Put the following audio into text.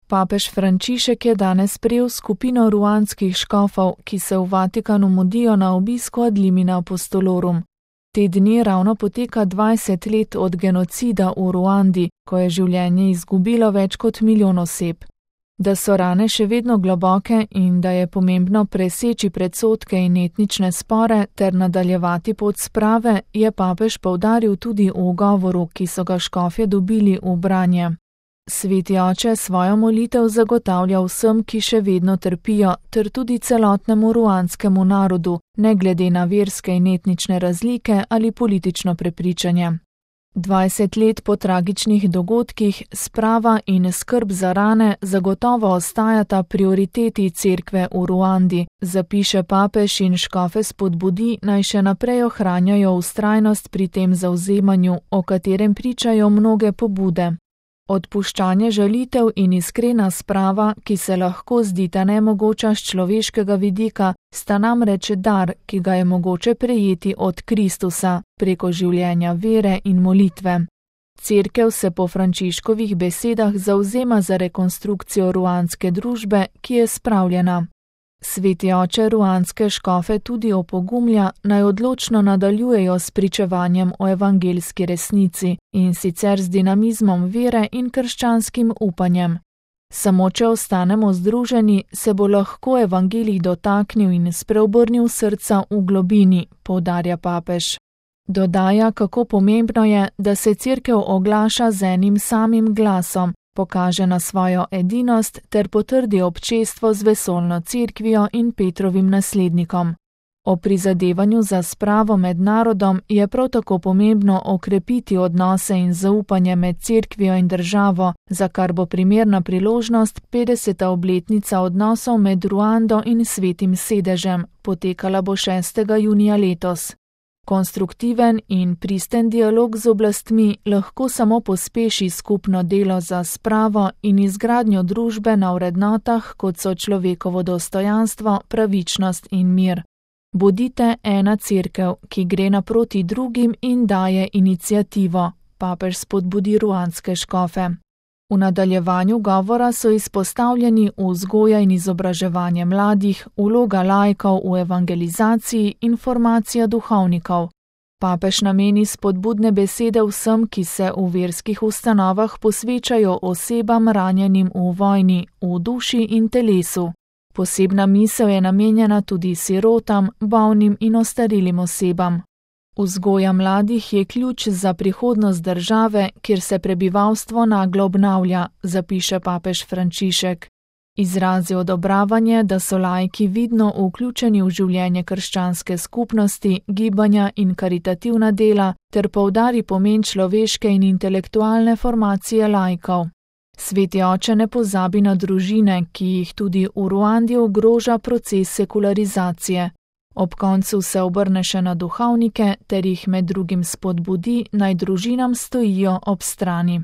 Papež Frančišek je danes sprejel skupino ruandskih škofov, ki se v Vatikanu mudijo na obisku ad limina apostolorum. Te dni ravno poteka 20 let od genocida v Ruandi, ko je življenje izgubilo več kot milijon oseb. Da so rane še vedno globoke in da je pomembno preseči predsodke in etnične spore ter nadaljevati pot sprave, je papež poudaril tudi v govoru, ki so ga škofje dobili v branje. Sveti oče svojo molitev zagotavlja vsem, ki še vedno trpijo, ter tudi celotnemu ruandskemu narodu, ne glede na verske in etnične razlike ali politično prepričanje. 20 let po tragičnih dogodkih sprava in skrb za rane zagotovo ostajata prioriteti cerkve v Ruandi, zapiše papež in škofe spodbudi, naj še naprej ohranjajo vztrajnost pri tem zavzemanju, o katerem pričajo mnoge pobude. Odpuščanje žalitev in iskrena sprava, ki se lahko zdita nemogoča z človeškega vidika, sta namreč dar, ki ga je mogoče prejeti od Kristusa preko življenja vere in molitve. Cerkev se po Frančiškovih besedah zavzema za rekonstrukcijo ruandske družbe, ki je spravljena. Sveti oče ruandske škofe tudi opogumlja, naj odločno nadaljujejo s pričevanjem o evangeljski resnici in sicer z dinamizmom vere in krščanskim upanjem. Samo če ostanemo združeni, se bo lahko evangelij dotaknil in spreobrnil srca v globini, poudarja papež. Dodaja, kako pomembno je, da se cerkev oglaša z enim samim glasom, pokaže na svojo edinost ter potrdi občestvo z vesoljno cerkvijo in Petrovim naslednikom. O prizadevanju za spravo med narodom je prav tako pomembno okrepiti odnose in zaupanje med cerkvijo in državo, za kar bo primerna priložnost 50. obletnica odnosov med Ruando in Svetim sedežem, potekala bo 6. junija letos. Konstruktiven in pristen dialog z oblastmi lahko samo pospeši skupno delo za spravo in izgradnjo družbe na vrednotah, kot so človekovo dostojanstvo, pravičnost in mir. Bodite ena cerkev, ki gre naproti drugim in daje iniciativo, papež spodbudi ruandske škofe. V nadaljevanju govora so izpostavljeni vzgoja in izobraževanje mladih, vloga laikov v evangelizaciji in formacija duhovnikov. Papež nameni spodbudne besede vsem, ki se v verskih ustanovah posvečajo osebam ranjenim v vojni, v duši in telesu. Posebna misel je namenjena tudi sirotam, bolnim in ostarilim osebam. Vzgoja mladih je ključ za prihodnost države, kjer se prebivalstvo naglo obnavlja, zapiše papež Frančišek. Izrazi odobravanje, da so laiki vidno vključeni v življenje krščanske skupnosti, gibanja in karitativna dela, ter poudari pomen človeške in intelektualne formacije laikov. Sveti oče ne pozabi na družine, ki jih tudi v Ruandi ogroža proces sekularizacije. Ob koncu se obrne še na duhovnike ter jih med drugim spodbudi, naj družinam stojijo ob strani.